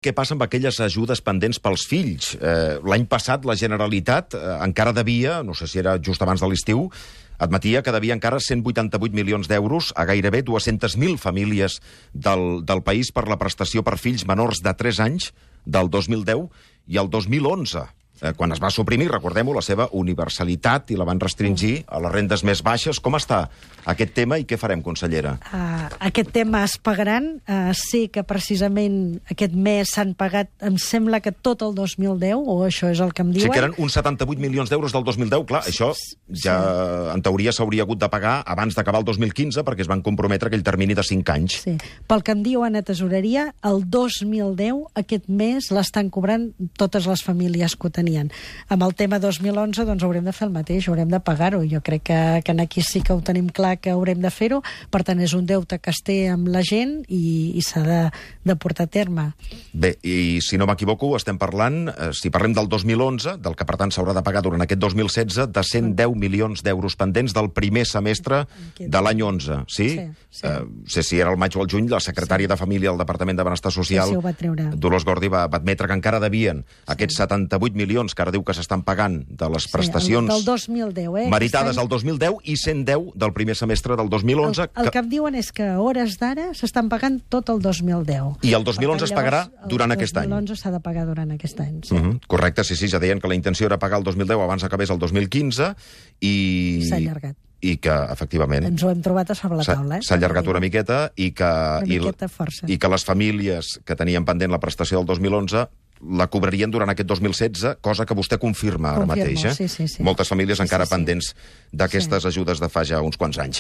Què passa amb aquelles ajudes pendents pels fills? L'any passat la Generalitat encara devia, no sé si era just abans de l'estiu, admetia que devia encara 188 milions d'euros a gairebé 200.000 famílies del país per la prestació per fills menors de 3 anys del 2010 i el 2011. Quan es va suprimir, recordem-ho, la seva universalitat i la van restringir a les rendes més baixes. Com està aquest tema i què farem, consellera? Aquest tema es pagaran. Sé que precisament aquest mes s'han pagat, em sembla que tot el 2010, o això és el que em diuen. Sí, que eren uns 78 milions d'euros del 2010. Clar, això ja en teoria s'hauria hagut de pagar abans d'acabar el 2015 perquè es van comprometre aquell termini de 5 anys. Sí. Pel que em diuen a Tesoreria, el 2010, aquest mes, l'estan cobrant totes les famílies que ho tenien. Amb el tema 2011, doncs haurem de fer el mateix, haurem de pagar-ho. Jo crec que aquí sí que ho tenim clar que haurem de fer-ho. Per tant, és un deute que es té amb la gent i s'ha de portar a terme. Bé, i si no m'equivoco, estem parlant, si parlem del 2011, del que per tant s'haurà de pagar durant aquest 2016, de 110 milions d'euros pendents del primer semestre de l'any 11. Sí? Sí. Sé si era el maig o el juny, la secretària de Família del Departament de Benestar Social, Dolors Gordi, va admetre que encara devien aquests 78 milions que ara diu que s'estan pagant de les prestacions del 2010, meritades al 2010 i 110 del primer semestre del 2011. El que em diuen és que a hores d'ara s'estan pagant tot el 2010. I el 2011 es pagarà durant aquest any. El 2011 s'ha de pagar durant aquest any, sí. Correcte, sí, ja deien que la intenció era pagar el 2010 abans acabés el 2015 i... S'ha allargat. I que, efectivament... Ens ho hem trobat a sobre la taula, S'ha allargat una miqueta i que... Una miqueta força. I que les famílies que tenien pendent la prestació del 2011 la cobrarien durant aquest 2016, cosa que vostè confirma ara mateix. Sí. Moltes famílies encara pendents d'aquestes ajudes de fa ja uns quants anys.